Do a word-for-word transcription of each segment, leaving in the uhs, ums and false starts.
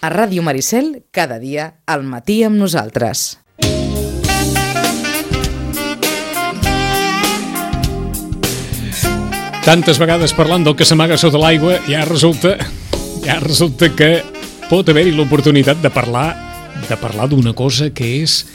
A Ràdio Maricel, cada dia, al matí amb nosaltres. Tantes vegades parlant del que s'amaga sota l'aigua, ja resulta, ja resulta que pot haver-hi l'oportunitat de parlar, de parlar d'una cosa que és,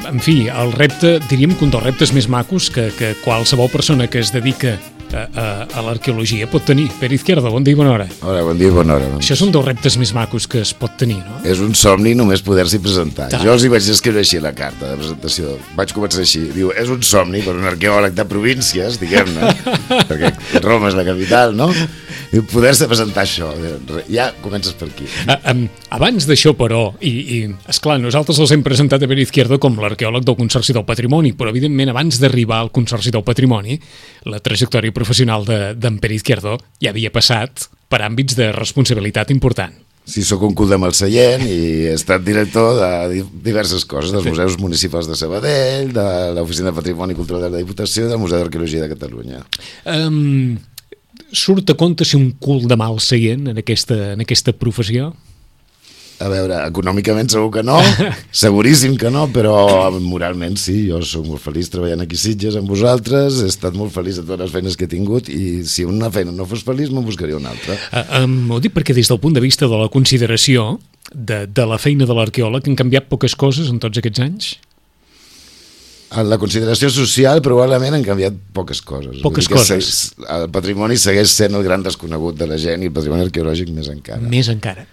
en fi, el repte, diríem que un dels reptes més macos que, que qualsevol persona que es dedica a, a, a l'arqueologia pot tenir. Pere Izquierdo, bon dia i bona hora. Hola, bon dia i bona hora. Doncs. Això és un dels reptes més macos que es pot tenir, no? És un somni només poder-s'hi presentar. Tant. Jo els hi vaig escriure així la carta de presentació. Vaig començar així. Diu, és un somni per un arqueòleg de províncies, diguem-ne, perquè Roma és la capital, no? I poder-se presentar això. Ja comences per aquí. A, um, abans d'això, però, i, i esclar, nosaltres els hem presentat a Pere Izquierdo com l'arqueòleg del Consorci del Patrimoni, però evidentment abans d'arribar al Consorci del Patrimoni, la trajectòria professional de, d'en Pere Izquierdo ja havia passat per àmbits de responsabilitat important. Sí, sóc un cul de Malseient i he estat director de diverses coses, dels museus municipals de Sabadell, de l'Oficina de Patrimoni Cultural de la Diputació i del Museu d'Arqueologia de Catalunya. Um, surt a compte ser un cul de Malseient en aquesta, en aquesta professió? A veure, econòmicament segur que no, seguríssim que no, però moralment sí, jo soc molt feliç treballant aquí a Sitges amb vosaltres, he estat molt feliç de totes les feines que he tingut i si una feina no fos feliç me'n buscaria una altra. Uh, um, ho dic perquè des del punt de vista de la consideració de, de la feina de l'arqueòleg han canviat poques coses en tots aquests anys? En la consideració social probablement han canviat poques coses. Poques coses. Se, el patrimoni segueix sent el gran desconegut de la gent i el patrimoni arqueològic més encara. Més encara.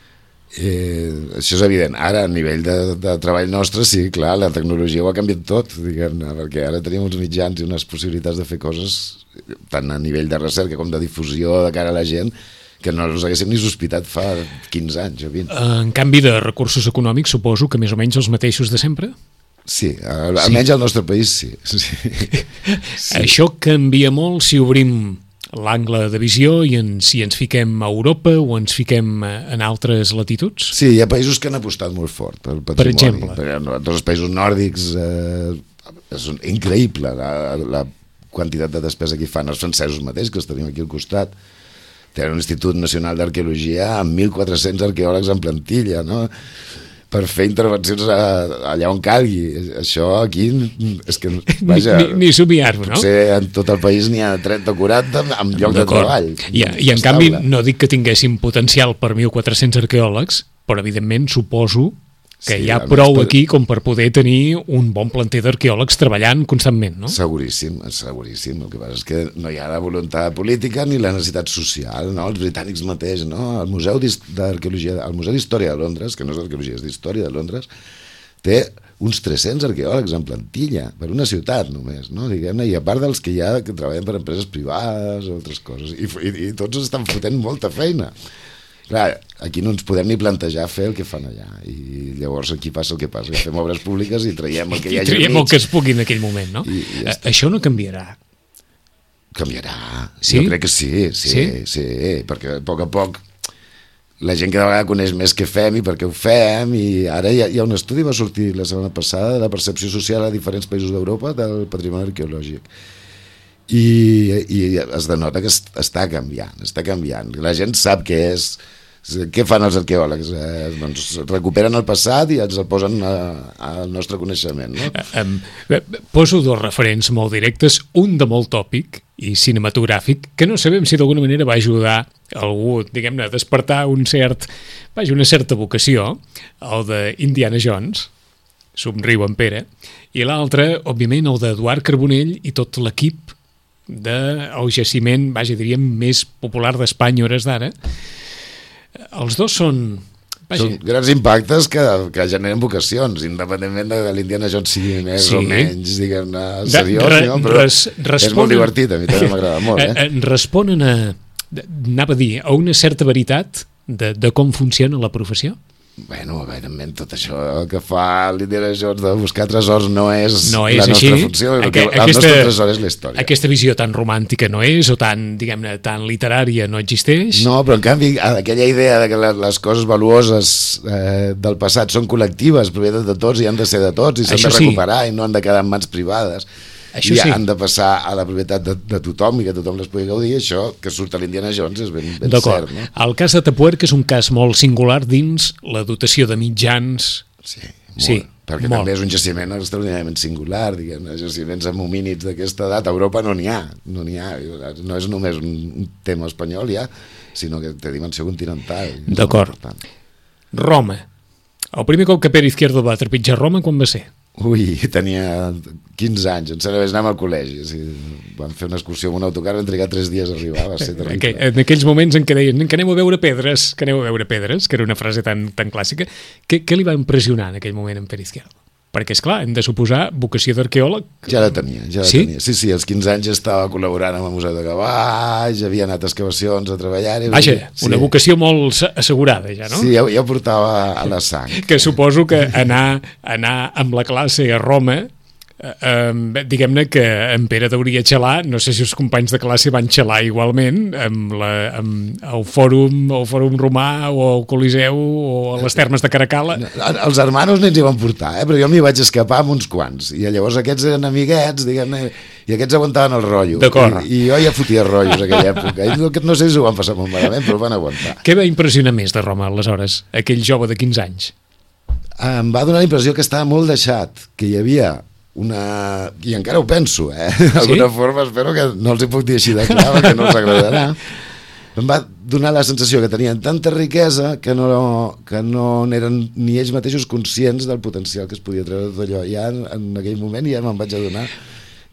Eh, això és evident. Ara, a nivell de, de treball nostre, sí, clar, la tecnologia ho ha canviat tot, diguem-ne, perquè ara tenim uns mitjans i unes possibilitats de fer coses, tant a nivell de recerca com de difusió de cara a la gent, que no els haguéssim ni sospitat fa quinze anys o vint. En canvi de recursos econòmics, suposo que més o menys els mateixos de sempre? Sí, almenys sí. Al nostre país sí. sí. sí. Això canvia molt si obrim l'angle de visió i en, si ens fiquem a Europa o ens fiquem en altres latituds? Sí, hi ha països que han apostat molt fort pel patrimoni. Per exemple? Per, tots els països nòrdics eh, és increïble la, la quantitat de despesa que hi fan. Els francesos mateix, que els tenim aquí al costat, tenen un Institut Nacional d'Arqueologia amb mil quatre-cents arqueòlegs en plantilla, no?, per fer intervencions a, allà on calgui. Això aquí és que, vaja... Ni, ni somiar-ho, no? Potser en tot el país n'hi ha trenta o quaranta amb lloc de treball. I, i en canvi, no dic que tinguéssim potencial per mil quatre-cents arqueòlegs, però evidentment suposo que sí, hi ha prou aquí com per poder tenir un bon planter d'arqueòlegs treballant constantment, no? Seguríssim, seguríssim. El que passa és que no hi ha la voluntat política ni la necessitat social, no? Els britànics mateix, no? El Museu d'Arqueologia, el Museu d'Història de Londres, que no és d'Arqueologia, és d'Història de Londres, té uns tres-cents arqueòlegs en plantilla, per una ciutat només, no? Diguem-ne, i a part dels que hi ha que treballen per empreses privades o altres coses, i, i, i tots estan fotent molta feina. Clar, aquí no ens podem ni plantejar fer el que fan allà i llavors aquí passa el que passa, que fem obres públiques i traiem el que hi hagi I traiem el que es pugui en aquell moment, no? I, i ja Això no canviarà. Canviarà, sí? Jo crec que sí, sí, sí, sí, perquè a poc a poc la gent cada vegada coneix més què fem i per què ho fem, i ara hi ha, hi ha un estudi, va sortir la setmana passada, de la percepció social a diferents països d'Europa del patrimoni arqueològic. I, i es denota que està canviant, està canviant. La gent sap què és, què fan els arqueòlegs? Eh, doncs recuperen el passat i ens el posen a, al nostre coneixement, no? Um, poso dos referents molt directes, un de molt tòpic i cinematogràfic, que no sabem si d'alguna manera va ajudar algú, diguem-ne, a despertar un cert, vaja, una certa vocació, el d'Indiana Jones, somriu en Pere, i l'altre, òbviament, el d'Eduard Carbonell i tot l'equip del jaciment, vaja, diríem, més popular d'Espanya hores d'ara. Els dos són... Vaja. Són grans impactes que, que generen vocacions, independentment de que l'Indiana Jones sigui més sí. o menys, diguem-ne, seriós, re, no? Però res, responen, és molt divertit, a mi també m'agrada molt. Eh? Responen a, anava a dir, a una certa veritat de, de com funciona la professió? Bueno, evidentment, tot això que fa l'Indiana Jones de buscar tresors no és, no és la nostra així. funció, el, Aqu que, el aquesta, nostre tresor és la història. Aquesta visió tan romàntica no és, o tan, diguem-ne, tan literària no existeix. No, però en canvi, aquella idea de que les coses valuoses eh, del passat són col·lectives, propietat de tots i han de ser de tots i s'han de recuperar sí. i no han de quedar en mans privades. Això i sí. han de passar a la propietat de, de tothom i que tothom les pugui gaudir, això que surt a l'Indiana Jones és ben, ben D'acord. cert, no? El cas de Tapuerca és un cas molt singular dins la dotació de mitjans. Sí, molt, Sí, perquè molt. també és un jaciment extraordinàriament singular, diguem, jaciments amb homínids d'aquesta edat, a Europa no n'hi ha, no n'hi ha, no és només un tema espanyol ja, sinó que té dimensió continental. D'acord. Roma. El primer cop que Pere Izquierdo va trepitjar Roma, quan va ser? Ui, tenia quinze anys, em sembla que anàvem al col·legi, o sigui, vam fer una excursió amb un autocar, vam trigar tres dies a arribar, va ser terrible. Aqu en aquells moments en què deien que aneu a veure pedres, que aneu a veure pedres, que era una frase tan, tan clàssica, què, què li va impressionar en aquell moment en Pere Izquierdo? Perquè, esclar, hem de suposar vocació d'arqueòleg. Ja la tenia, ja la Sí? tenia. Sí, sí, als quinze anys estava col·laborant amb el Museu de Cavalls, havia anat a excavacions a treballar... Vaja, sí. una vocació molt assegurada ja, no? Sí, ja, ja ho portava a la sang. Que suposo que anar, anar amb la classe a Roma, eh, eh, diguem-ne que en Pere hauria xalar, no sé si els companys de classe van xalar igualment amb, la, amb el fòrum, el fòrum romà o el Coliseu o a les termes de Caracalla. Els hermanos no ens hi van portar, eh? Però jo m'hi vaig escapar amb uns quants. I llavors aquests eren amiguets, diguem-ne, i aquests aguantaven el rotllo. D'acord. I, I jo ja fotia rotllos en aquella època. I no, no sé si ho van passar molt malament, però ho van aguantar. Què va impressionar més de Roma aleshores, aquell jove de quinze anys? Em va donar la impressió que estava molt deixat, que hi havia una... I encara ho penso, eh? D'alguna Sí? forma espero que no els hi puc dir així de clar, perquè no els agradarà. Em va donar la sensació que tenien tanta riquesa que no, que no eren ni ells mateixos conscients del potencial que es podia treure tot allò. Ja en, en aquell moment ja me'n vaig adonar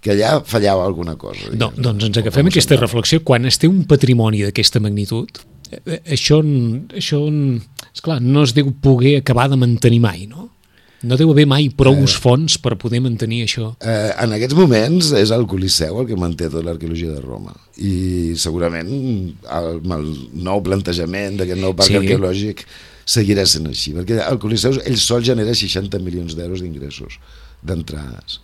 que allà fallava alguna cosa. No, doncs ens agafem aquesta reflexió. Quan es té un patrimoni d'aquesta magnitud, eh, això, això esclar, no es deu poder acabar de mantenir mai, no? No deu haver mai prou eh, fons per poder mantenir això. Eh, en aquests moments és el Coliseu el que manté tota l'arqueologia de Roma. I segurament el, el nou plantejament d'aquest nou parc Sí. arqueològic seguirà sent així, perquè el Coliseu ell sol genera seixanta milions d'euros d'ingressos, d'entrades.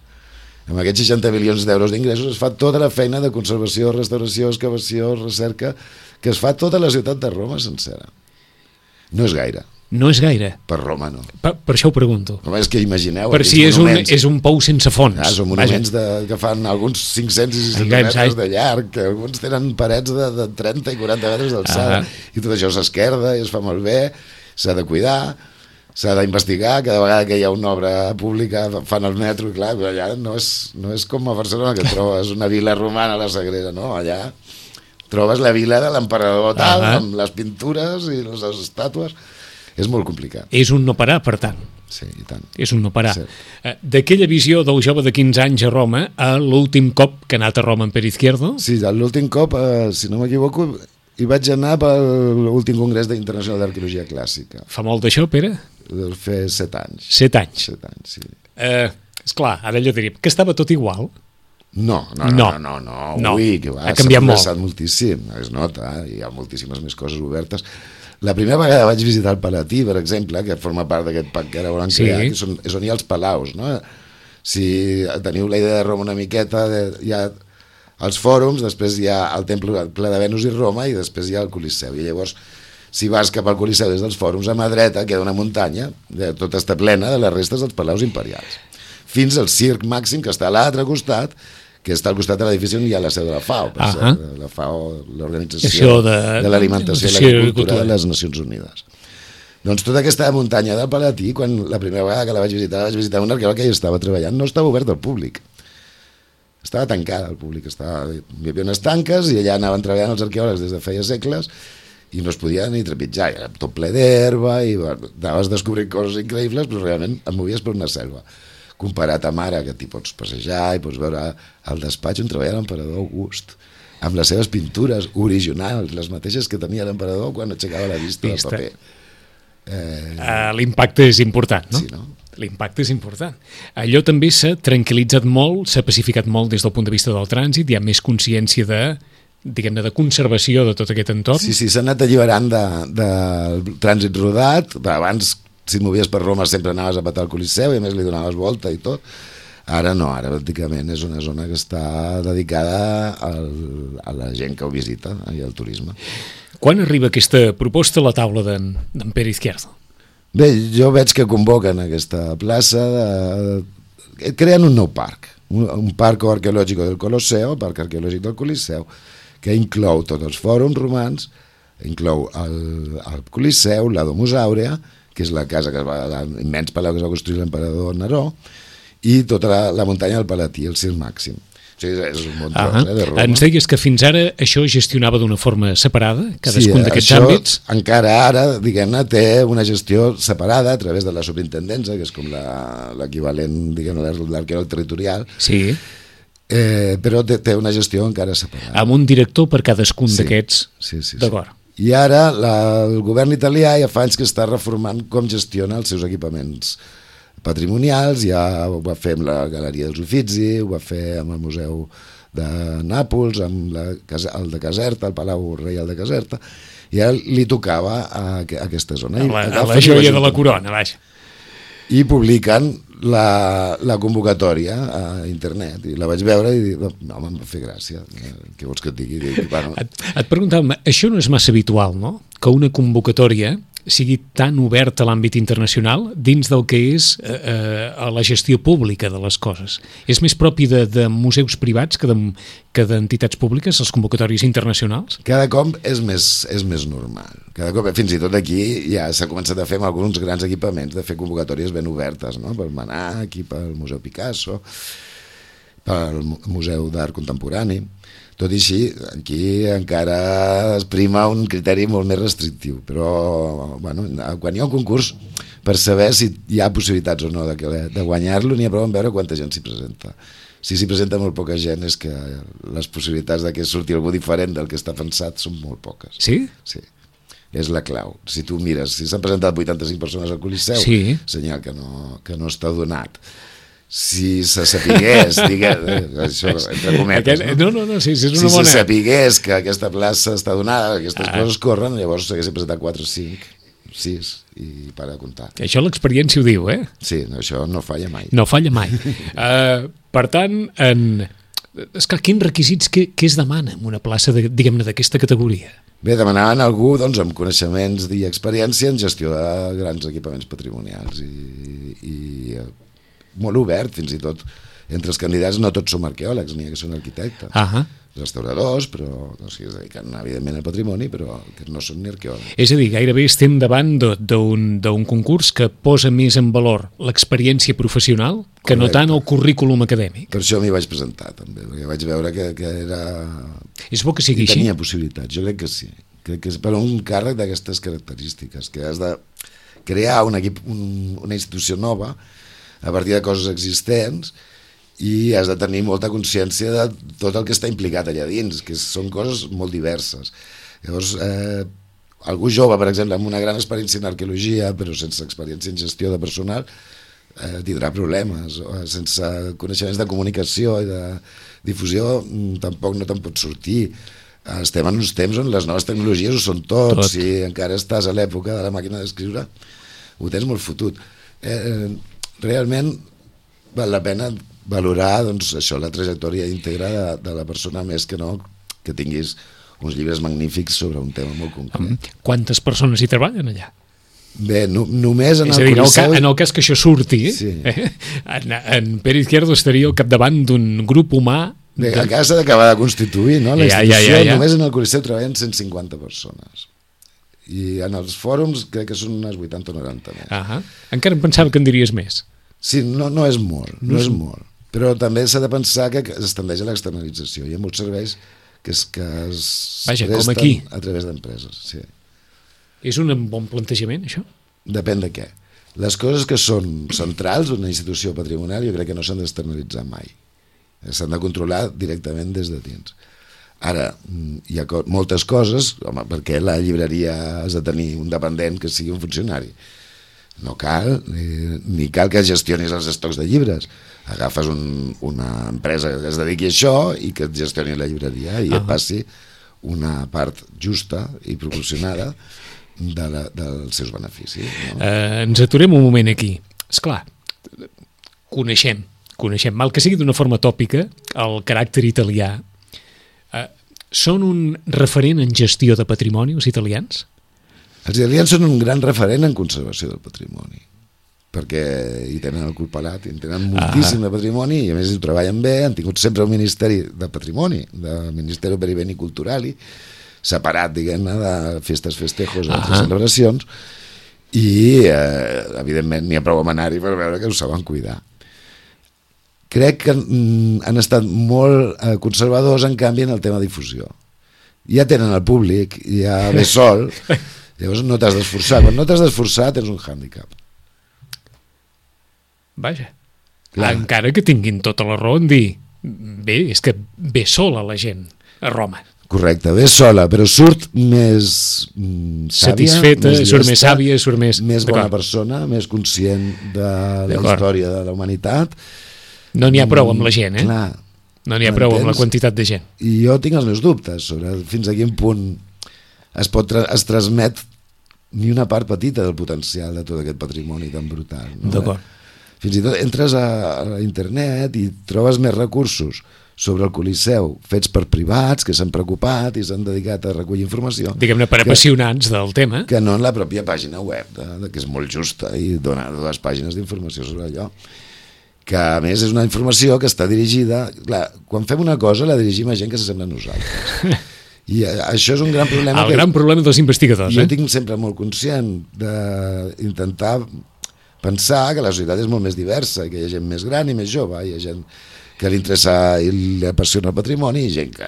Amb aquests seixanta milions d'euros d'ingressos es fa tota la feina de conservació, restauració, excavació, recerca, que es fa tota la ciutat de Roma sencera. No és gaire. No és gaire. Per Roma no. Per, per això ho pregunto. Home, és que imagineu... Per si és un, és un pou sense fons. Ah, són monuments de, que fan alguns cinc-cents i sis-cents metres de llarg, que alguns tenen parets de, de trenta i quaranta metres d'alçada, ah. i tot això s'esquerda i es fa molt bé, s'ha de cuidar, s'ha d'investigar, cada vegada que hi ha una obra pública fan el metro, i clar, allà no és, no és com a Barcelona, que trobes una vila romana a la Sagrera, no? Allà trobes la vila de l'emperador tal, ah. amb les pintures i les estàtues. És molt complicat. És un no parar, per tant. Sí, i tant. És un no parar. Sí. D'aquella visió del jove de quinze anys a Roma a l'últim cop que ha anat a Roma en Pere Izquierdo? Sí, l'últim cop, eh, si no m'equivoco, hi vaig anar per l'últim congrés internacional d'arqueologia clàssica. Fa molt d'això, Pere? Deu fer set anys. Set anys. Set anys, sí. Eh, esclar, ara allò diríem, que estava tot igual? No, no, no, No. no, no, no. No. Ui, que va, Ha canviat molt. S'ha moltíssim, es nota, hi ha moltíssimes més coses obertes. La primera vegada vaig visitar el Palatí, per exemple, que forma part d'aquest parc que ara volen Sí. crear, que són, és on hi ha els palaus, no? Si teniu la idea de Roma una miqueta, de, hi ha els fòrums, després hi ha el temple el ple de Venus i Roma, i després hi ha el Coliseu. I llavors, si vas cap al Coliseu des dels fòrums, a mà dreta queda una muntanya, de, tota està plena de les restes dels palaus imperials. Fins al circ màxim, que està a l'altre costat, que està al costat de l'edifici on hi ha la seu de la FAO, per Ah la FAO, l'Organització de, de l'Alimentació i l'Agricultura de les Nacions Unides. Doncs tota aquesta muntanya del Palatí, quan la primera vegada que la vaig visitar, la vaig visitar un arqueòleg que hi estava treballant, no estava obert al públic. Estava tancada al públic, estava, hi havia unes tanques i allà anaven treballant els arqueòlegs des de feia segles i no es podia ni trepitjar, era tot ple d'herba i bueno, anaves descobrint coses increïbles, però realment et movies per una selva. Comparat amb ara, que t'hi pots passejar i pots veure el despatx on treballa l'emperador August, amb les seves pintures originals, les mateixes que tenia l'emperador quan aixecava la vista, vista. del paper. Eh... Uh, L'impacte és important, no? Sí, no? L'impacte és important. Allò també s'ha tranquil·litzat molt, s'ha pacificat molt des del punt de vista del trànsit, hi ha més consciència de, diguem-ne, de conservació de tot aquest entorn. Sí, sí, s'ha anat alliberant del de, de trànsit rodat, abans si et movies per Roma sempre anaves a petar el Coliseu i a més li donaves volta i tot. Ara no, ara pràcticament és una zona que està dedicada al, a la gent que ho visita i al turisme. Quan arriba aquesta proposta a la taula d'en Pere Izquierdo? Bé, jo veig que convoquen aquesta plaça, de, creen un nou parc, un, un parc arqueològic del Colosseo, el parc arqueològic del Coliseu, que inclou tots els fòrums romans, inclou el, el Coliseu, la Domus Aurea, que és la casa que es va, l'immens palau que es va construir l'emperador Neró, i tota la, la muntanya del Palatí, el Circ Màxim. O sigui, és un bon tros, eh, de Roma. Ens deies que fins ara això gestionava d'una forma separada, cadascun sí, d'aquests això, àmbits? Encara ara, diguem-ne, té una gestió separada a través de la superintendència, que és com l'equivalent, diguem-ne, l'arqueòleg territorial. Sí. Eh, però té, té una gestió encara separada. Amb un director per cadascun sí, d'aquests. Sí, sí, sí. D'acord. I ara la, el govern italià ja fa anys que està reformant com gestiona els seus equipaments patrimonials. Ja ho va fer amb la Galeria dels Uffizi, ho va fer amb el Museu de Nàpols, amb la, el de Caserta, el Palau Reial de Caserta, i ja li tocava a, a aquesta zona. A la, a la joia de la corona, vaja. I publiquen la, la convocatòria a internet, i la vaig veure i dic, no, em va fer gràcia, què vols que et digui? Dic, bueno. Et, et preguntàvem, això no és massa habitual, no?, que una convocatòria sigui tan oberta a l'àmbit internacional dins del que és eh, eh, la gestió pública de les coses. És més propi de, de museus privats que, de, que d'entitats públiques, les convocatòries internacionals? Cada cop és més, és més normal. Cada cop, fins i tot aquí, ja s'ha començat a fer amb alguns grans equipaments, de fer convocatòries ben obertes, no? Pel Manac, pel Museu Picasso, pel Museu d'Art Contemporani. Tot i així, aquí encara es prima un criteri molt més restrictiu, però bueno, quan hi ha un concurs, per saber si hi ha possibilitats o no de, de guanyar-lo, n'hi ha prou en veure quanta gent s'hi presenta. Si s'hi presenta molt poca gent, és que les possibilitats de que surti algú diferent del que està pensat són molt poques. Sí? Sí. És la clau. Si tu mires, si s'han presentat vuitanta-cinc persones al Coliseu, sí, senyal que no, que no està donat. Si se sapigués, digues, això entre cometes, no? No, no, no, sí, sí, és una si bona... se sapigués que aquesta plaça està donada, aquestes ah. coses corren, llavors s'haguessin presentat quatre o cinc, sis, i para de comptar. Això l'experiència ho diu, eh? Sí, això no falla mai. No falla mai. uh, per tant, en... esclar, quins requisits, què, què es demana en una plaça, de, diguem-ne, d'aquesta categoria? Bé, demanaven algú doncs, amb coneixements i experiència en gestió de grans equipaments patrimonials i, i molt obert, fins i tot entre els candidats no tots som arqueòlegs, n'hi ha que són arquitectes, uh-huh. restauradors, però o sigui, es dediquen evidentment al patrimoni, però que no són ni arqueòlegs. És a dir, gairebé estem davant d'un concurs que posa més en valor l'experiència professional que Correcte. No tant el currículum acadèmic. Per això m'hi vaig presentar també, perquè vaig veure que, que era... És bo que sigui així? Tenia possibilitats, jo crec que sí. Crec que és per un càrrec d'aquestes característiques, que has de crear un equip, un, una institució nova a partir de coses existents i has de tenir molta consciència de tot el que està implicat allà dins, que són coses molt diverses. Llavors, eh, algú jove, per exemple, amb una gran experiència en arqueologia, però sense experiència en gestió de personal, eh, tindrà problemes. Sense coneixements de comunicació i de difusió, tampoc no te'n pot sortir. Estem en uns temps on les noves tecnologies ho són tot. Tot. Si encara estàs a l'època de la màquina d'escriure, ho tens molt fotut. Eh, realment val la pena valorar doncs, això, la trajectòria íntegra de, de la persona, més que no que tinguis uns llibres magnífics sobre un tema molt concret. Quantes persones hi treballen allà? Bé, no, només en és el dir, Coliseu... En el cas que això surti, sí. eh, en, en Pere Izquierdo estaria al capdavant d'un grup humà... Bé, de... encara s'ha d'acabar de constituir, no? La ja, institució, ja, ja, ja. Només en el Coliseu treballen cent cinquanta persones. I en els fòrums crec que són unes vuitanta o noranta més. Uh-huh. Encara em pensava que en diries més. Sí, no, no és molt, no, no és molt. Però també s'ha de pensar que es tendeix a l'externalització. Hi ha molts serveis que es, que es Vaja, presten com aquí. A través d'empreses. Sí. És un bon plantejament, això? Depèn de què. Les coses que són centrals d'una institució patrimonial jo crec que no s'han d'externalitzar mai. S'han de controlar directament des de dins. Ara, hi ha co- moltes coses, home, perquè la llibreria has de tenir un dependent que sigui un funcionari. No cal, ni, ni cal que gestionis els estocs de llibres. Agafes un, una empresa que es dediqui a això i que et gestioni la llibreria i ah. et passi una part justa i proporcionada de la, dels seus beneficis. No? Eh, ens aturem un moment aquí. Esclar, coneixem, coneixem, mal que sigui d'una forma tòpica, el caràcter italià. Eh, són un referent en gestió de patrimoni, els italians? Els italians són un gran referent en conservació del patrimoni. perquè hi tenen el cul pelat, hi tenen moltíssim de patrimoni i a més hi treballen bé, han tingut sempre un Ministeri de Patrimoni, del Ministeri per i Beni Culturali, separat, diguem-ne, de festes, festejos, altres celebracions, i eh, evidentment n'hi ha prou amb anar-hi per veure que ho saben cuidar. Crec que mm, han estat molt eh, conservadors, en canvi, en el tema difusió. Ja tenen el públic, ja ve sol, llavors no t'has d'esforçar. Quan no t'has d'esforçar tens un hàndicap. Vaja. Clar. Encara que tinguin tota la raó en dir bé, és que ve sola la gent a Roma. Correcte, ve sola, però surt més mm, sàvia, satisfeta, més surt llesta, més sàvia, surt més... més bona persona, més conscient de la història de la humanitat. No n'hi ha prou amb la gent, eh? Clar, no n'hi ha prou amb la quantitat de gent. I jo tinc els meus dubtes sobre fins a quin punt es pot tra es transmet ni una part petita del potencial de tot aquest patrimoni tan brutal. No? D'acord. Fins i tot entres a, a internet i trobes més recursos sobre el Coliseu fets per privats que s'han preocupat i s'han dedicat a recollir informació. Diguem-ne, per que, apassionats del tema. Que no en la pròpia pàgina web, de, de, que és molt justa i dona dues pàgines d'informació sobre allò. Que a més és una informació que està dirigida... Clar, quan fem una cosa la dirigim a gent que s'assembla a nosaltres. I això és un gran problema. El que, gran problema dels investigadors. Jo eh? tinc sempre molt conscient d'intentar pensar que la societat és molt més diversa i que hi ha gent més gran i més jove, hi ha gent que li interessa i li apassiona el patrimoni i gent que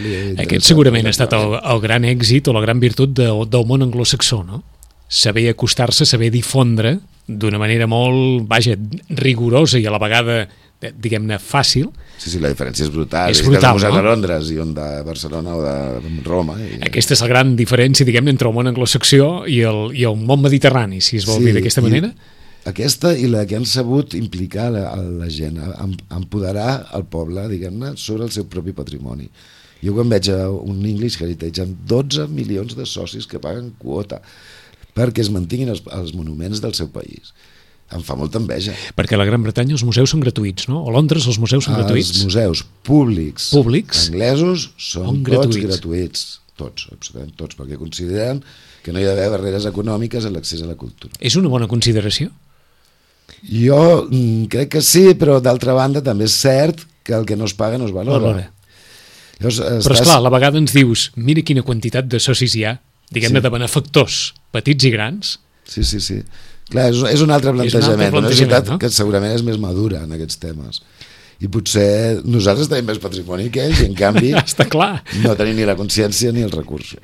li interessa... Aquest segurament ha estat el, el gran èxit o la gran virtut de, del món anglosaxó, no? Saber acostar-se, saber difondre d'una manera molt, vaja, rigorosa i a la vegada, diguem-ne, fàcil. Sí, sí, la diferència és brutal. És brutal, no? no? De Londres i on de Barcelona o de Roma. I... Aquesta és la gran diferència, diguem-ne, entre el món anglosaxó i el, i el món mediterrani, si es vol sí, dir d'aquesta manera. Aquesta i la que han sabut implicar la, la gent, empoderar el poble, diguem-ne, sobre el seu propi patrimoni. Jo quan veig un English Heritage amb dotze milions de socis que paguen quota perquè es mantinguin els, els monuments del seu país, em fa molta enveja. Perquè a la Gran Bretanya els museus són gratuïts, no? A Londres els museus són gratuïts? Els museus públics, públics anglesos són tots gratuïts. gratuïts. Tots, absolutament tots, perquè consideren que no hi ha d'haver barreres econòmiques a l'accés a la cultura. És una bona consideració? Jo mm, crec que sí, però d'altra banda també és cert que el que no es paga no es valora. valora. Llavors, estàs... Però esclar, a la vegada ens dius, mira quina quantitat de socis hi ha, diguem-ne sí. de benefactors, petits i grans. Sí, sí, sí. Clar, és, és un altre plantejament, un altre plantejament una societat no? que segurament és més madura en aquests temes. I potser nosaltres tenim més patrimoni que ells i en canvi Està clar. no tenim ni la consciència ni els recursos.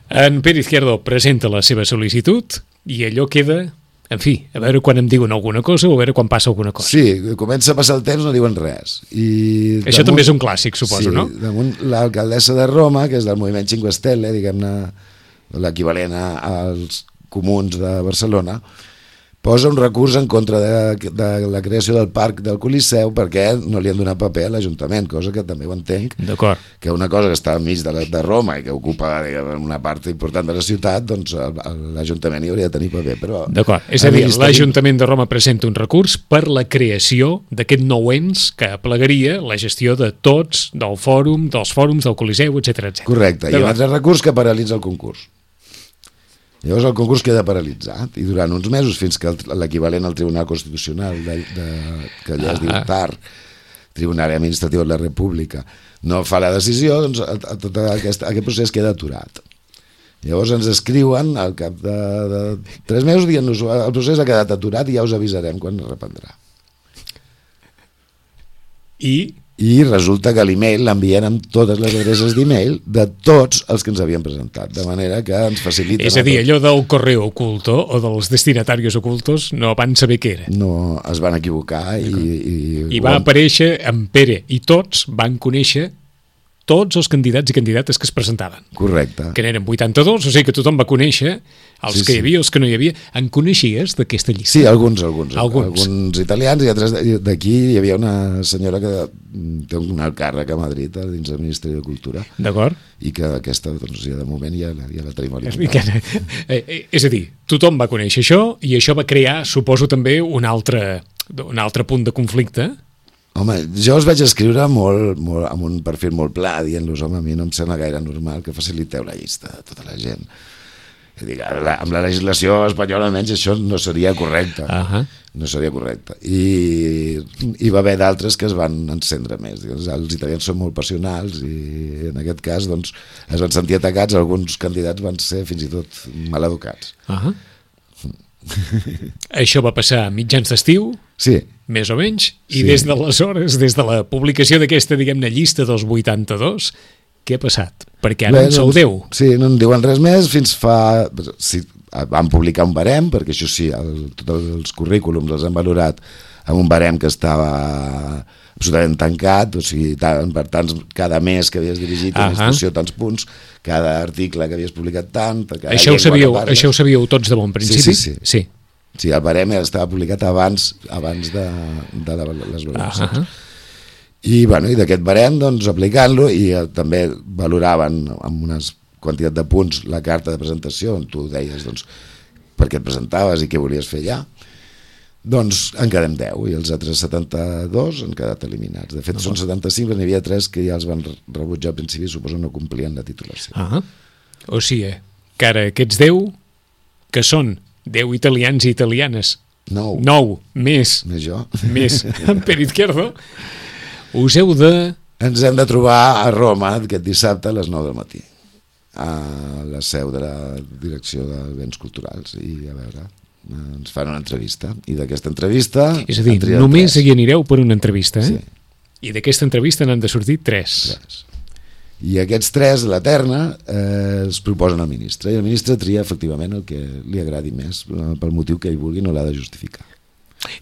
En Pere Izquierdo presenta la seva sol·licitud i allò queda... En fi, a veure quan em diuen alguna cosa o a veure quan passa alguna cosa. Sí, comença a passar el temps, no diuen res. I Això damunt, també és un clàssic, suposo, sí, no? Damunt l'alcaldessa de Roma, que és del moviment Cinque Stelle, diguem-ne, l'equivalent als comuns de Barcelona, posa un recurs en contra de, de la creació del parc del Coliseu perquè no li han donat paper a l'Ajuntament, cosa que també ho entenc. D'acord. Que una cosa que està enmig de, la, de Roma i que ocupa diguem, una part important de la ciutat, doncs l'Ajuntament hi hauria de tenir paper. Però d'acord, és a dir, l'Ajuntament de Roma presenta un recurs per la creació d'aquest nou ens que aplegaria la gestió de tots, del fòrum, dels fòrums, del Coliseu, etcètera, etcètera. Correcte, i un altre recurs que paralitza el concurs. Llavors el concurs queda paralitzat i durant uns mesos fins que l'equivalent al Tribunal Constitucional de, de, que allà es diu T A R, Tribunal Administratiu de la República, no fa la decisió, doncs a, a tot aquest, aquest procés queda aturat. Llavors ens escriuen al cap de, de tres mesos dient-nos el procés ha quedat aturat i ja us avisarem quan es reprendrà. I... I resulta que l'email l'envien amb totes les adreces d'email de tots els que ens havien presentat, de manera que ens faciliten... És a dir, allò del correu oculto o dels destinatarios ocultos no van saber què era. No, es van equivocar i... I, I va aparèixer en Pere i tots van conèixer tots els candidats i candidates que es presentaven. Correcte. Que n'eren vuitanta-dos, o sigui que tothom va conèixer els sí, que hi havia, sí. els que no hi havia. En coneixies d'aquesta llista? Sí, alguns, alguns. Alguns, alguns italians i altres d'aquí. Hi havia una senyora que té un alt càrrec a Madrid dins del Ministeri de Cultura. D'acord. I que aquesta, doncs, ja de moment ja, ja la tenim alimentada. És a dir, tothom va conèixer això i això va crear, suposo, també un altre, un altre punt de conflicte. Home, jo els vaig escriure molt, molt, amb un perfil molt pla, dient-los, home, a mi no em sembla gaire normal que faciliteu la llista de tota la gent. Dic, amb la legislació espanyola almenys això no seria correcte. Uh-huh. No seria correcte. I hi va haver d'altres que es van encendre més. Els italians són molt passionals i en aquest cas doncs, es van sentir atacats, alguns candidats van ser fins i tot maleducats. Uh-huh. Això va passar a mitjans d'estiu, sí. més o menys, i sí. des d'aleshores, des de la publicació d'aquesta, diguem-ne, llista dels vuitanta-dos, què ha passat? Perquè ara Bé, en sou doncs, deu. Sí, no en diuen res més, fins fa... Sí, van publicar un barem, perquè això sí, el, tots els currículums els han valorat amb un barem que estava absolutament tancat, o sigui, tant, per tants, cada mes que havies dirigit una uh-huh. institució tants punts, cada article que havies publicat tant... Això ho, sabíeu, això ho sabíeu tots de bon principi? Sí, sí, sí. sí. Sí, el barem estava publicat abans abans de, de la, les valoracions. Uh-huh. I, bueno, i d'aquest barem, doncs, aplicant-lo, i eh, també valoraven amb una quantitat de punts la carta de presentació, on tu deies doncs, per què et presentaves i què volies fer allà, doncs en quedem deu, i els altres setanta-dos han quedat eliminats. De fet, uh-huh. són setanta-cinc, però n'hi havia tres que ja els van rebutjar al principi, suposo no complien la titulació. Uh-huh. O sigui, que ara aquests deu, que són deu italians i italianes, nou, nou més, més jo, més en Pere Izquierdo, us heu de... Ens hem de trobar a Roma aquest dissabte a les nou del matí, a la seu de la Direcció de Béns Culturals, i a veure, ens fan una entrevista, i d'aquesta entrevista... És a dir, només hi anireu per una entrevista, eh? Sí. I d'aquesta entrevista n'han de sortir tres. tres. I aquests tres, la terna, eh, els proposen al ministre, i el ministre tria efectivament el que li agradi més, pel motiu que ell vulgui, no l'ha de justificar.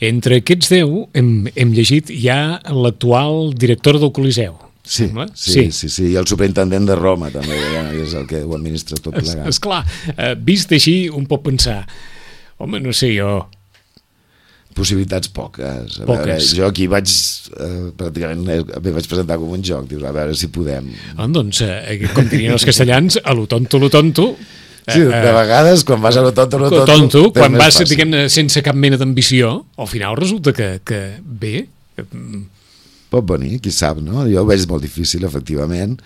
Entre aquests deu hem, hem llegit ja l'actual director del Coliseu. Sí, sí, sí, sí, sí, i el superintendent de Roma també, ja, és el que ho administra tot plegat. Es, esclar, eh, vist així un pot pensar, home, no sé jo... Possibilitats poques. A poques. Veure, jo aquí vaig, eh, pràcticament, em vaig presentar com un joc, dius, a veure si podem... Ah, doncs, eh, com dirien els castellans, a lo tonto, lo tonto... Sí, de vegades, quan vas a lo tonto, lo tonto... tonto quan vas, diguem-ne, sense cap mena d'ambició, al final resulta que, que bé... Pot venir, qui sap, no? Jo ho veig molt difícil, efectivament,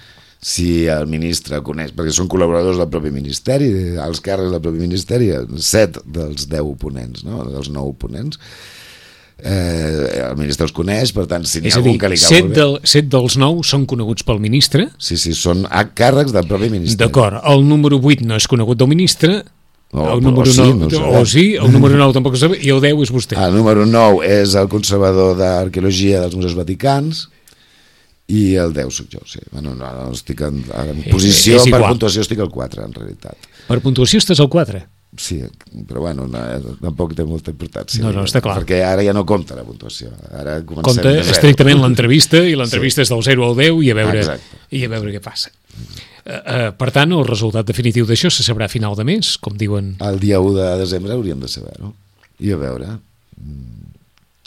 si el ministre coneix, perquè són col·laboradors del propi ministeri, els càrrecs del propi ministeri, set dels deu oponents, no? Dels nou oponents, eh, el ministre els coneix, per tant, si n'hi ha algun que li cau set molt bé... Del, set dels nou són coneguts pel ministre? Sí, sí, són càrrecs del propi ministeri. D'acord, el número vuit no és conegut del ministre, no, el número o, sí, nou, no o sí, el número nou tampoc ho sabem, i el deu és vostè. El número nou és el conservador d'arqueologia dels museus vaticans, i el deu soc jo, sí. Bueno, no, no estic en, en posició, és, és per puntuació estic al quatre, en realitat. Per puntuació estàs al quatre? Sí, però bueno, no, tampoc té molta importància. No, no, està clar. Perquè ara ja no compta la puntuació. Ara comencem compta estrictament l'entrevista, i l'entrevista sí. és del zero al deu, i a veure, Exacte. i a veure què passa. Uh, uh, per tant, el resultat definitiu d'això se sabrà a final de mes, com diuen... El dia u de desembre hauríem de saber-ho. I a veure...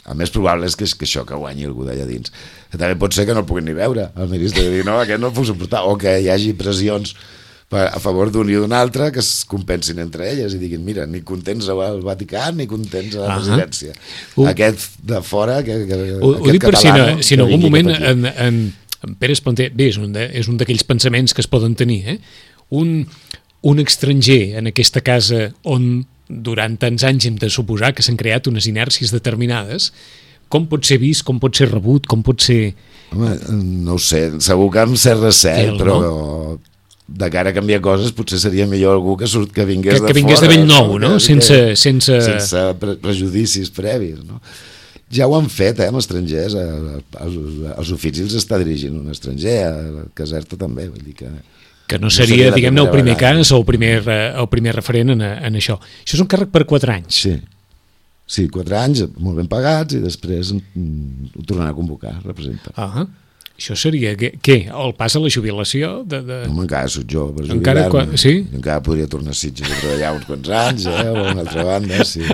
El més probable és que, que això, que guanyi algú d'allà dins. També pot ser que no el puguin ni veure. El ministre dir, no, aquest no el puc suportar. O que hi hagi pressions per, a favor d'un i d'un altre que es compensin entre elles i diguin, mira, ni contents al Vaticà ni contents a la uh-huh. residència. Uh. Aquest de fora, que, que, ho, aquest ho dic per si, no, si en algun moment en, en, en Pere Esplanter, bé, és un de, és un d'aquells pensaments que es poden tenir, eh? un, un estranger en aquesta casa on durant tants anys hem de suposar que s'han creat unes inèrcies determinades, com pot ser vist, com pot ser rebut, com pot ser... Home, no ho sé, segur que amb cert recel, El, però no? de cara a canviar coses potser seria millor algú que, surt, que vingués que, de que vingués fora. de vell nou, no? Que, sense, sense... sense pre prejudicis previs, no? Ja ho han fet, eh, amb estrangers, els oficis els està dirigint un estranger, a Caserta també, vull dir que... que no seria, no diguem-ne, el primer vegada. cas o el primer, el primer referent en, en això. Això és un càrrec per quatre anys. Sí, sí, quatre anys molt ben pagats i després mm, ho tornaran a convocar, representa. Ah, això seria, què? què? El pas a la jubilació? De, de... No, encara soc jo per jubilar-me. Quan... Sí? Encara podria tornar a Sitges a treballar uns quants anys, eh, o a una altra banda, sí.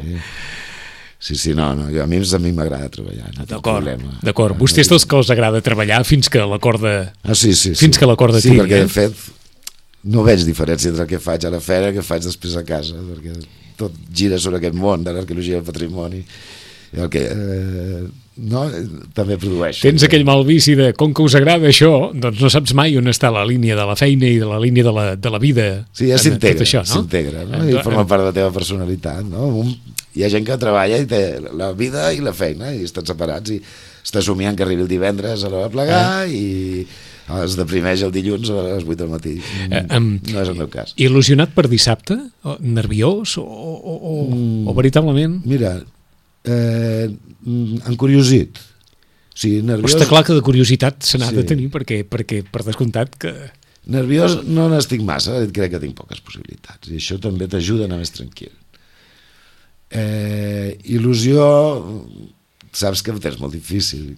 Sí, sí, no, no, jo, a mi, a mi m'agrada treballar. No d'acord, d'acord. Vostès dels que els agrada treballar fins que la corda... Ah, sí, sí. Fins sí. que la corda sí, tiri. Sí, perquè, eh? de fet, no veig diferència entre el que faig a la fera i el que faig després a casa, perquè tot gira sobre aquest món de l'arqueologia del patrimoni el que, eh, no, també produeixo. Tens aquell mal vici de, com que us agrada això, doncs no saps mai on està la línia de la feina i de la línia de la, de la vida. Sí, ja s'integra, no? s'integra, no? I forma part de la teva personalitat, no? Un, hi ha gent que treballa i té la vida i la feina i estan separats i està somiant que arribi el divendres a l'hora de plegar ah. i es deprimeix el dilluns a les vuit del matí. Eh, um, no és el meu cas. Il·lusionat per dissabte? O, nerviós? O, o, o, mm, o veritablement? Mira, eh, encuriosit. O sigui, nerviós... Però està clar que de curiositat se n'ha sí. de tenir, perquè, perquè per descomptat que... Nerviós no n'estic massa, crec que tinc poques possibilitats, i això també t'ajuda a anar més tranquil. Eh, il·lusió, saps que ho tens molt difícil.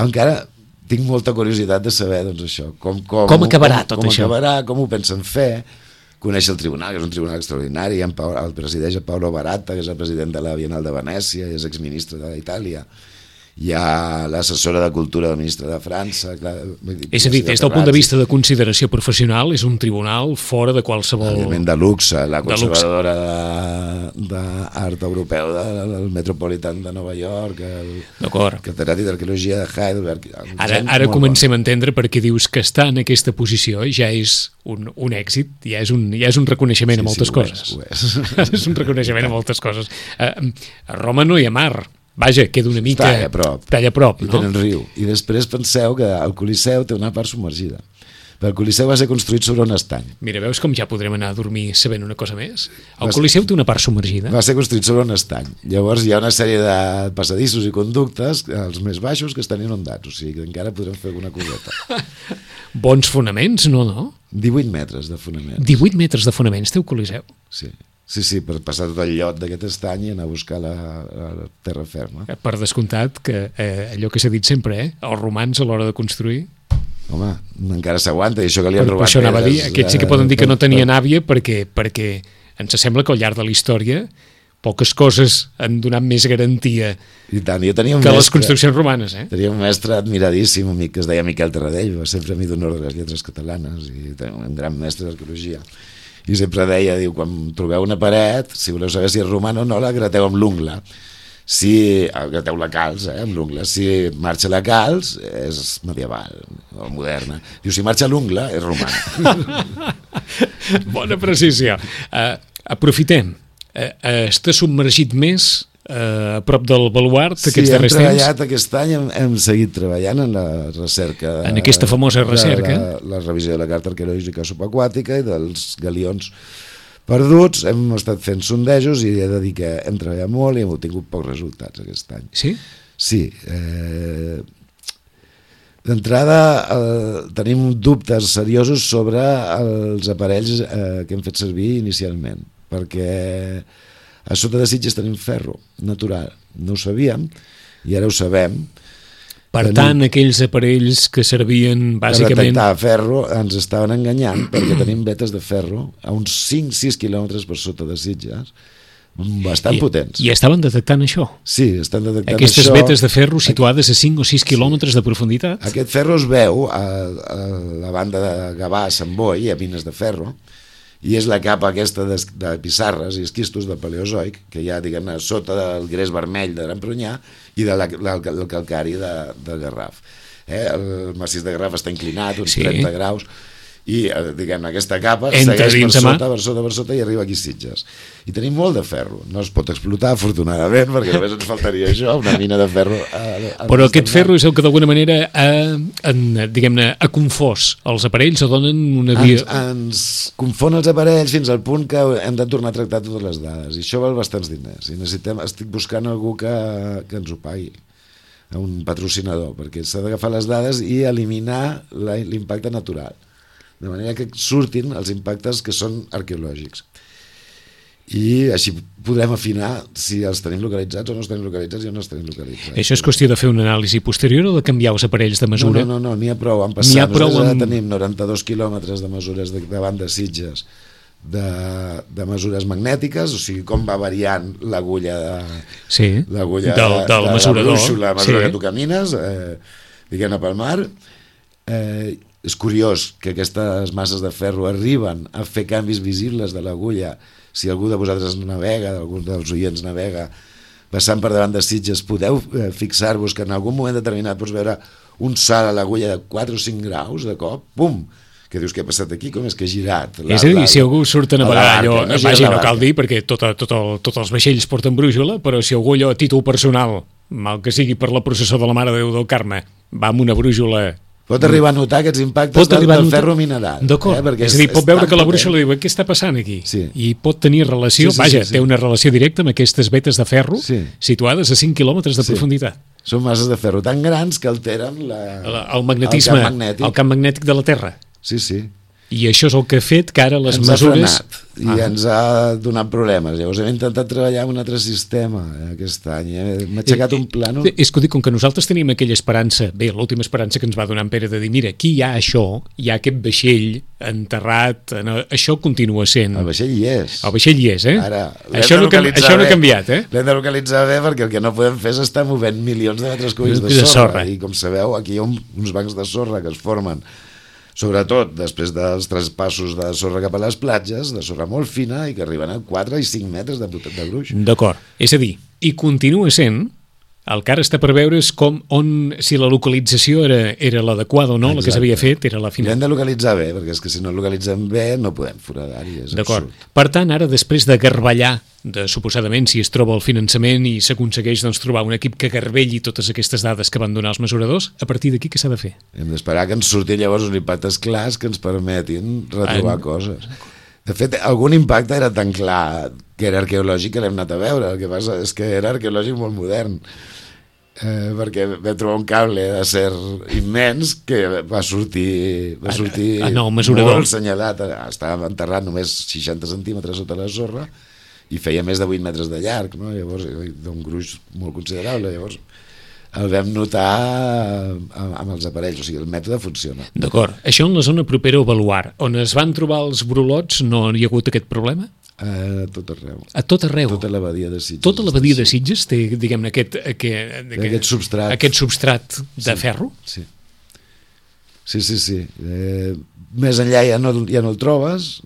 Encara tinc molta curiositat de saber, doncs, això, com, com, com acabarà com, tot com això. Com acabarà, com ho pensen fer, conèixer el tribunal, que és un tribunal extraordinari, el, el presideix Paolo Baratta, que és el president de la Bienal de Venècia, i és exministre d'Itàlia. Hi ha l'assessora de Cultura del ministre de França. Clar, és a dir, des del punt de vista de consideració professional, és un tribunal fora de qualsevol... Element de luxe, la conservadora d'art europeu del Metropolitan de Nova York, el catedràtic d'arqueologia de Heidelberg... Ara, ara comencem a entendre per què dius que estar en aquesta posició ja és un, un èxit, ja és un, ja és un reconeixement sí, a moltes sí, coses. Ho és, ho és. És un reconeixement a moltes coses. A, a Roma no hi ha mar. Vaja, queda una mica... Talla a prop. Talla a prop, I no? tenen riu. I després penseu que el Coliseu té una part submergida. Però el Coliseu va ser construït sobre un estany. Mira, veus com ja podrem anar a dormir sabent una cosa més? El Coliseu té una part submergida. Va ser construït sobre un estany. Llavors hi ha una sèrie de passadissos i conductes, els més baixos, que estan inundats. O sigui que encara podrem fer alguna coseta. Bons fonaments, no, no? divuit metres de fonaments. divuit metres de fonaments té el Coliseu? Sí. Sí, sí, per passar tot el llot d'aquest estany i anar a buscar la, la terra ferma. Per descomptat que eh, allò que s'ha dit sempre, eh? Els romans a l'hora de construir... Home, encara s'aguanta, i això que li han per, robat... Per això anava a dir, aquests sí que poden dir que no tenien per... àvia perquè, perquè ens sembla que al llarg de la història poques coses han donat més garantia I tant, jo tenia un que mestre, les construccions romanes. Eh? Tenia un mestre admiradíssim, amic, que es deia Miquel Terradell, va ser Premi d'Honor de les Lletres Catalanes, i tenia un gran mestre d'arqueologia. I sempre deia, diu, quan trobeu una paret, si voleu saber si és romana o no, la grateu amb l'ungla. Si grateu la calç, eh, amb l'ungla. Si marxa la calç, és medieval o moderna. Diu, si marxa l'ungla, és romana. Bona precisió. Uh, aprofitem. Uh, uh, està submergit més uh, a prop del baluart sí, aquests darrers temps? Sí, hem treballat aquest any, hem, hem seguit treballant en la recerca. De, en aquesta famosa recerca. La, la revisió de la carta arqueològica subaquàtica i dels galions perduts. Hem estat fent sondejos i he de dir que hem treballat molt i hem obtingut pocs resultats aquest any. Sí? Sí. Eh, D'entrada eh, tenim dubtes seriosos sobre els aparells eh, que hem fet servir inicialment, perquè a sota de Sitges tenim ferro natural, no ho sabíem i ara ho sabem. Per tenim, tant, aquells aparells que servien bàsicament... Per detectar ferro ens estaven enganyant perquè tenim vetes de ferro a uns cinc a sis quilòmetres per sota de Sitges, bastant I, potents. I estaven detectant això? Sí, estan detectant Aquestes això. Aquestes vetes de ferro situades a cinc o sis quilòmetres de profunditat? Aquest ferro es veu a, a la banda de Gavà, Sant Boi, a mines de ferro, i és la capa aquesta de, de pissarres i esquistos del Paleozoic, que hi ha, diguem-ne, sota del gres vermell de Gran Prunyà i de la, la, el calcari de, de Garraf. Eh? El massís de Garraf està inclinat uns sí. trenta graus, i diguem-ne, aquesta capa entra segueix per sota, mà. per sota, per sota i arriba aquí a Sitges. I tenim molt de ferro. No es pot explotar, afortunadament, perquè només ens faltaria això, una mina de ferro. A, a Però aquest ferro és el que d'alguna manera ha, en, diguem-ne, ha confós els aparells o donen una via... Ens, ens confon els aparells fins al punt que hem de tornar a tractar totes les dades. I això val bastants diners. I necessitem, estic buscant algú que, que ens ho pagui, un patrocinador, perquè s'ha d'agafar les dades i eliminar l'impacte natural, de manera que surtin els impactes que són arqueològics. I així podrem afinar si els tenim localitzats o no els tenim localitzats i on no els tenim localitzats. Això és qüestió de fer una anàlisi posterior o de canviar els aparells de mesura? No, no, no, n'hi ha prou. Han passat, ha prou nosaltres amb... tenim noranta-dos quilòmetres de mesures de, davant de Sitges de, de mesures magnètiques, o sigui, com va variant l'agulla de, sí, l'agulla del, del de, de mesurador. La brúixola, la mesura sí. que tu camines, eh, diguem-ne pel mar. Eh, és curiós que aquestes masses de ferro arriben a fer canvis visibles de l'agulla. Si algú de vosaltres navega, algun dels oients navega passant per davant de Sitges, podeu eh, fixar-vos que en algun moment determinat pots veure un salt a l'agulla de quatre o cinc graus de cop, pum, que dius, què ha passat aquí? Com és que ha girat? La, és a dir, la, si algú surt a navegar allò, no, vaja, no cal dir, perquè tot, tot el, tots els vaixells porten brúixola, però si algú allò a títol personal, mal que sigui per la processó de la Mare de Déu del Carme, va amb una brúixola... Pot arribar a notar aquests impactes del, del ferro mineral. D'acord, eh? És a dir, pot veure que la brúixola diu, què està passant aquí? Sí. I pot tenir relació, sí, sí, vaja, sí, sí. té una relació directa amb aquestes vetes de ferro sí. situades a cinc quilòmetres de sí. profunditat. Són masses de ferro tan grans que alteren la, el, el magnetisme, el camp magnètic. el camp magnètic de la Terra. Sí, sí. I això és el que ha fet que ara les ens mesures... ha frenat i ah. ens ha donat problemes. Llavors hem intentat treballar amb un altre sistema eh, aquest any. Eh? M'ha aixecat eh, un plànol... És que ho dic, com que nosaltres tenim aquella esperança, bé, l'última esperança que ens va donar en Pere de dir, mira, aquí hi ha això, hi ha aquest vaixell enterrat, no, això continua sent... El vaixell hi és. El vaixell hi és, eh? Ara, això no, això no ha canviat, eh? L'hem de localitzar bé perquè el que no podem fer és estar movent milions de metres cúbics de, de sorra. sorra. I com sabeu, aquí hi ha un, uns bancs de sorra que es formen sobretot després dels traspassos de sorra cap a les platges, de sorra molt fina i que arriben a quatre i cinc metres de, de gruix. D'acord, és a dir, i continua sent, el que ara està per veure és com, on, si la localització era, era l'adequada o no, exacte. La que s'havia fet era la final. L'hem de localitzar bé, perquè és que si no localitzem bé no podem foradar-hi, és D'acord. absurd. Per tant, ara després de garballar, de, suposadament, si es troba el finançament i s'aconsegueix doncs, trobar un equip que garbelli totes aquestes dades que van donar els mesuradors, a partir d'aquí què s'ha de fer? Hem d'esperar que ens surtin llavors uns impactes clars que ens permetin retrobar en... coses. De fet, algun impacte era tan clar que era arqueològic que l'hem anat a veure. El que passa és que era arqueològic molt modern. Eh, perquè vam trobar un cable d'acer immens que va sortir, va sortir ah, no, molt senyalat. Estava enterrat només seixanta centímetres sota la sorra i feia més de vuit metres de llarg, no? Llavors, d'un gruix molt considerable. Llavors, el vam notar amb els aparells, o sigui, el mètode funciona. D'acord. Això en la zona propera a Baluard, on es van trobar els brolots, no hi ha hagut aquest problema? A tot arreu. A tot arreu? Tota la badia de Sitges. Tota la badia de Sitges té, diguem-ne, aquest, aquest, aquest substrat, aquest substrat de sí, ferro? Sí. Sí, sí, sí. Eh, més enllà ja no, ja no el trobes,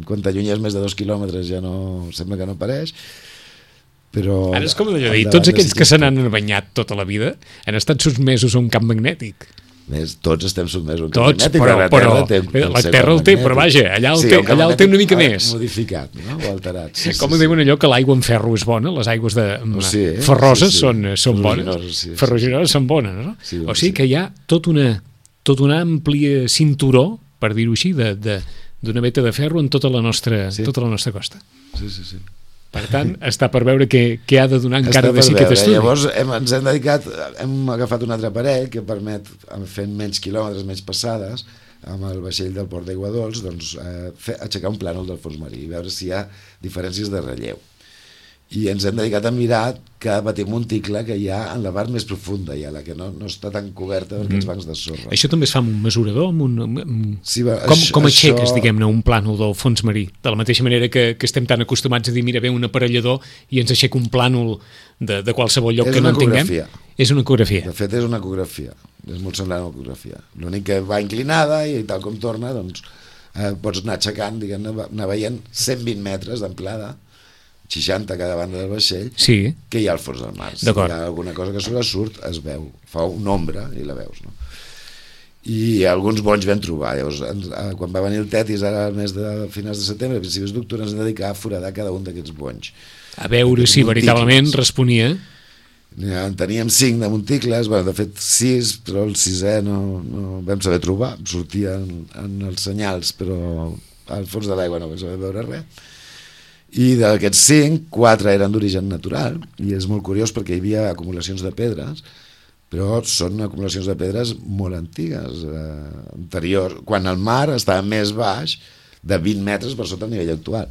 quan t'allunyes més de dos quilòmetres ja no, sembla que no apareix, però... Ara és com d'allò dir, tots aquells que se n'han banyat tota la vida han estat sotmesos a un camp magnètic. Més, tots estem sotmesos a un camp tots, magnètic, però, la però, Terra té, però la Terra el té, però vaja, allà el, sí, té, allà el té una mica més. Modificat, no? O alterat. Sí, com sí, diuen sí. allò que l'aigua amb ferro és bona, les aigües de oh, sí, eh? ferroses sí, sí. són, són bones, sí, ferruginoses sí. són bones, no? Sí, o sigui sí. que hi ha tot una, tot una àmplia cinturó, per dir-ho així, de, de, d'una veta de ferro en tota la nostra, sí. tota la nostra costa. Sí, sí, sí. Per tant, està per veure què, què ha de donar encara de sí aquest estudi. Llavors hem, ens hem dedicat, hem agafat un altre aparell que permet, fent menys quilòmetres, menys passades, amb el vaixell del port d'Aigua Dols, doncs, eh, fer, aixecar un plànol del fons marí i veure si hi ha diferències de relleu. I ens hem dedicat a mirar cada petit monticle que hi ha en la part més profunda, ja, la que no, no està tan coberta per aquests bancs de sorra. Això també es fa amb un mesurador? Amb un, amb... Sí, va, com, això, com aixeques, això... diguem-ne, un plànol del fons marí? De la mateixa manera que, que estem tan acostumats a dir, mira, ve un aparellador i ens aixeca un plànol de, de qualsevol lloc és que no en tinguem? És una ecografia. De fet, és una ecografia. És molt semblant a una ecografia. L'únic que va inclinada i tal com torna, doncs, eh, pots anar aixecant, diguem-ne, anar veient cent vint metres d'amplada, seixanta a cada banda del vaixell, sí. que hi ha al fons del mar. Si hi ha alguna cosa que sobresurt, es veu, fa una ombra i la veus, no? I alguns bonys vam trobar. Llavors, quan va venir el Tetis, ara al mes de finals de setembre, a principis d'octubre, ens vam dedicar a foradar cada un d'aquests bonys. A veure si veritablement responia. Ja, en teníem cinc de monticles, bueno, de fet sis, però el sisè no, no vam saber trobar, sortia en, en els senyals, però al fons de l'aigua no vam saber veure res. I d'aquests cinc, quatre eren d'origen natural, i és molt curiós perquè hi havia acumulacions de pedres, però són acumulacions de pedres molt antigues, eh, anteriors, quan el mar estava més baix de vint metres per sota el nivell actual.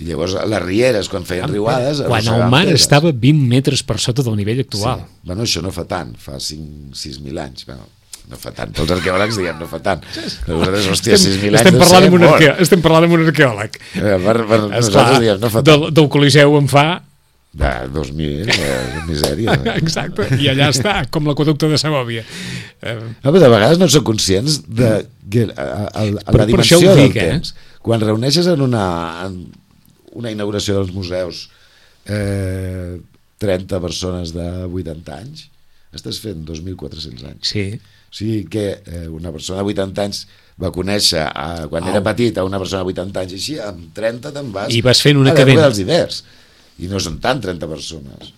I llavors les rieres, quan feien riuades... Quan el mar pedres. Estava vint metres per sota del nivell actual. Sí. Bueno, això no fa tant, fa cinc sis mil anys, bueno, no fa tant, els arqueòlegs diem no fa tant. Nosaltres, hòstia, sis mil anys estem no parlant, sé, un arqueò, estem parlant amb un arqueòleg. Eh, per, per nosaltres diem no fa tant. Del, del Coliseu en fa... De dos mil, eh, misèria. Exacte, i allà està, com l'aqueducte de Segòvia. Eh... No, però de vegades no són conscients de que a, a, a però la dimensió dic, del eh? temps. Quan reuneixes en una, en una inauguració dels museus eh, trenta persones de vuitanta anys, estàs fent dos mil quatre-cents anys. Sí. O sigui que eh, una persona de vuitanta anys va conèixer a, quan oh. era petit a una persona de vuitanta anys, i així amb trenta te'n vas, I vas fent una a l'època cadena dels hiverns, i no són tant trenta persones.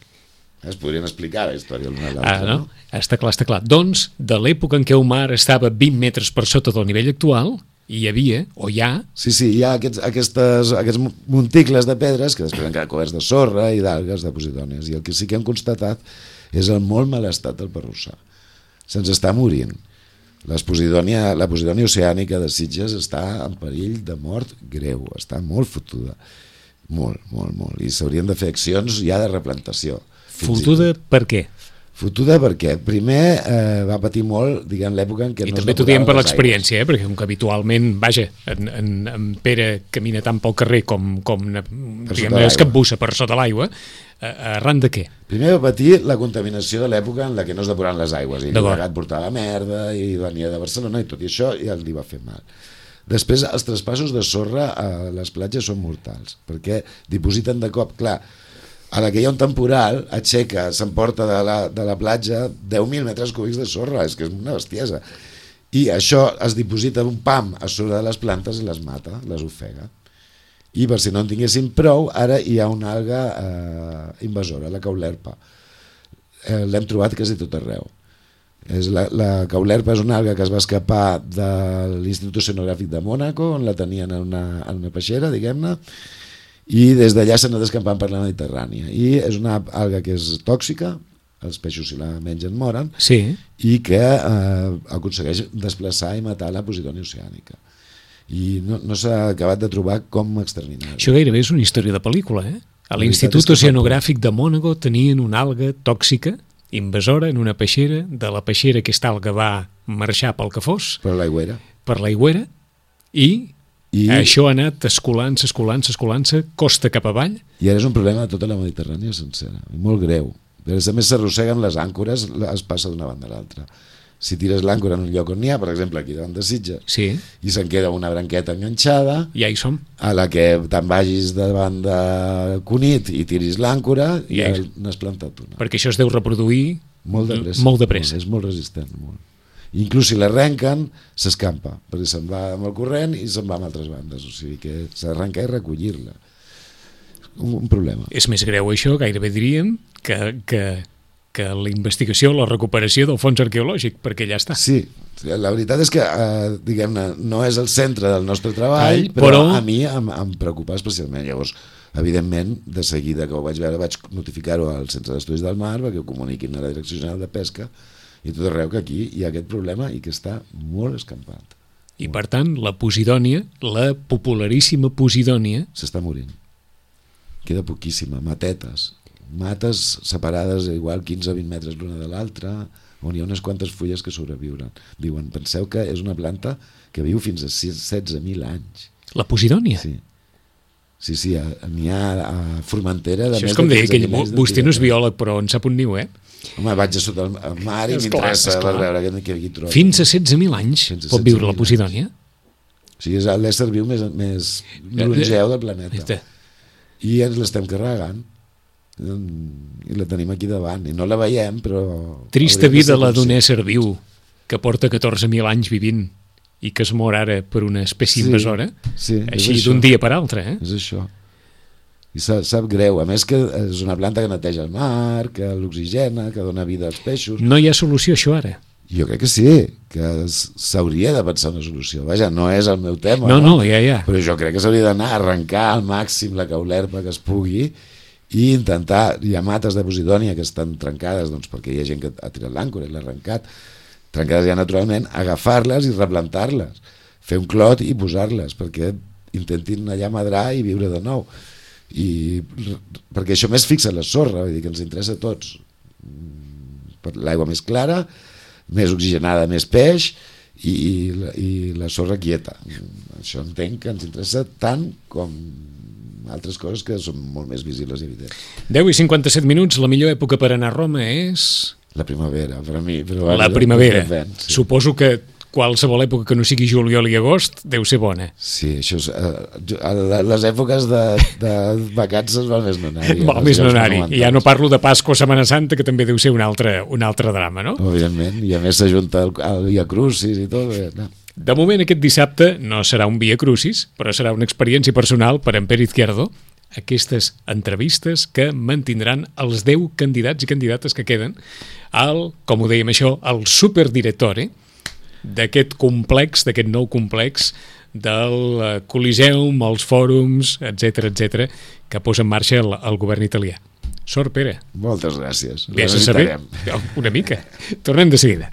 Es podrien explicar la història l'una a l'altra. Ah, no? no? Està clar, està clar. Doncs, de l'època en què el mar estava vint metres per sota del nivell actual, hi havia, o hi ha... Sí, sí, hi ha aquests, aquestes, aquests monticles de pedres que després han quedat coberts de sorra i d'algues de posidònies, i el que sí que hem constatat és el molt mal estat del Parrussà. Se'ns està morint. La posidònia, la posidònia oceànica de Sitges està en perill de mort greu, està molt fotuda. Molt, molt, molt. I s'haurien de fer accions ja de replantació. Fotuda per què? Fotuda perquè primer eh, va patir molt, diguem, l'època en què I no també t'ho diem per l'experiència, eh? Perquè com que habitualment, vaja, en, en, en Pere camina tant pel carrer com, com diguem, es capbussa per sota l'aigua, eh, arran de què? Primer va patir la contaminació de l'època en la que no es depuraven les aigües, i el Llobregat portava merda i venia de Barcelona, i tot i això ja li va fer mal. Després, els traspassos de sorra a les platges són mortals, perquè dipositen de cop, clar, a la que hi ha un temporal, aixeca, s'emporta de la, de la platja deu mil metres cúbics de sorra, és que és una bestiesa. I això es diposita un pam a sobre de les plantes i les mata, les ofega. I per si no en tinguessin prou, ara hi ha una alga eh, invasora, la caulerpa. Eh, L'hem trobat quasi tot arreu. És la, la caulerpa és una alga que es va escapar de l'Institut Oceanogràfic de Mònaco, on la tenien en una, en una peixera, diguem-ne, i des d'allà s'ha anat escampant per la Mediterrània, i és una alga que és tòxica, els peixos si la mengen moren, sí. i que eh, aconsegueix desplaçar i matar la posidònia oceànica, i no, no s'ha acabat de trobar com exterminar-la. Això gairebé és una història de pel·lícula, eh? A l'Institut Oceanogràfic de Mònaco tenien una alga tòxica invasora en una peixera, de la peixera aquesta alga va marxar pel que fos, per l'aigüera, per l'aigüera, i I... això ha anat escolant-se, escolant-se, escolant-se, costa cap avall. I ara és un problema de tota la Mediterrània sencera, molt greu. A més, s'arrosseguen les àncores, es passa d'una banda a l'altra. Si tires l'àncora en un lloc on n'hi ha, per exemple aquí davant de Sitges, sí. i se'n queda una branqueta enganxada, ja hi som. A la que te'n vagis davant de Cunit i tiris l'àncora, i ja n'has plantat una. Perquè això es deu reproduir molt de pressa. Molt de pressa. Molt, és molt resistent, molt. Inclús si l'arrenquen, s'escampa, perquè se'n va amb el corrent i se'n va amb altres bandes, o sigui que s'ha d'arrencar i recollir-la. Un, un problema. És més greu això, gairebé diríem, que, que, que la investigació, la recuperació del fons arqueològic, perquè ja està. Sí, la veritat és que, eh, diguem-ne, no és el centre del nostre treball, Ai, però, però a mi em, em preocupa especialment. Llavors, evidentment, de seguida que ho vaig veure, vaig notificar-ho al Centre d'Estudis del Mar, perquè ho comuniquin a la Direcció General de Pesca, i tot arreu que aquí hi ha aquest problema i que està molt escampat. I per tant, la posidònia, la popularíssima posidònia... s'està morint. Queda poquíssima, matetes. Mates separades igual quinze a vint metres l'una de l'altra, on hi ha unes quantes fulles que sobreviuen. Diuen, penseu que és una planta que viu fins a setze mil anys. La posidònia? Sí. Sí, sí, n'hi ha a Formentera... Això és com deia, que vostè no és biòleg, però en sap un niu, eh? Home, vaig a sota el mar i m'interessa per veure què aquí trobo. Fins a setze mil anys pot viure la posidònia? O sigui, és l'ésser viu més, més longeu del planeta. I ens l'estem carregant. I la tenim aquí davant. I no la veiem, però... Trista vida la d'un ésser viu que porta catorze mil anys vivint i que es mor ara per una espècie sí, invasora, sí, així d'un dia per altre. Eh? És això. I sap, sap greu, a més que és una planta que neteja el mar, que l'oxigena, que dona vida als peixos. No hi ha solució això ara? Jo crec que sí, que s'hauria de pensar una solució. Vaja, no és el meu tema, no, no, ja, ja. Però jo crec que s'hauria d'anar a arrencar al màxim la caulerpa que es pugui i intentar, hi ha mates de posidònia que estan trencades, doncs perquè hi ha gent que ha tirat l'àncora i l'ha arrencat, trencades ja naturalment, agafar-les i replantar-les, fer un clot i posar-les perquè intentin allà madrar i viure de nou. I perquè això més fixa la sorra, vull dir que ens interessa a tots, per l'aigua més clara, més oxigenada, més peix i, i, la, i la sorra quieta. Això entenc que ens interessa tant com altres coses que són molt més visibles i evidents. deu i cinquanta-set minuts, la millor època per anar a Roma és... La primavera, per a mi. Però la primavera. Vent, sí. Suposo que qualsevol època que no sigui juliol i agost deu ser bona. Sí, això és... Eh, les èpoques de, de vacances val més no anar-hi. Val més no anar-hi. I ja no parlo de Pasqua o Setmana Santa, que també deu ser un altre, un altre drama, no? Evidentment, i a més s'ajunta el, el Via Crucis i tot. Eh, no. De moment, aquest dissabte no serà un Via Crucis, però serà una experiència personal per en Pere Izquierdo, aquestes entrevistes que mantindran els deu candidats i candidates que queden al, com ho dèiem això, al superdirectore d'aquest complex, d'aquest nou complex del Coliseum, els fòrums, etcètera, etcètera, que posa en marxa el, el govern italià. Sort, Pere. Moltes gràcies. Vés a saber, una mica. Tornem de seguida.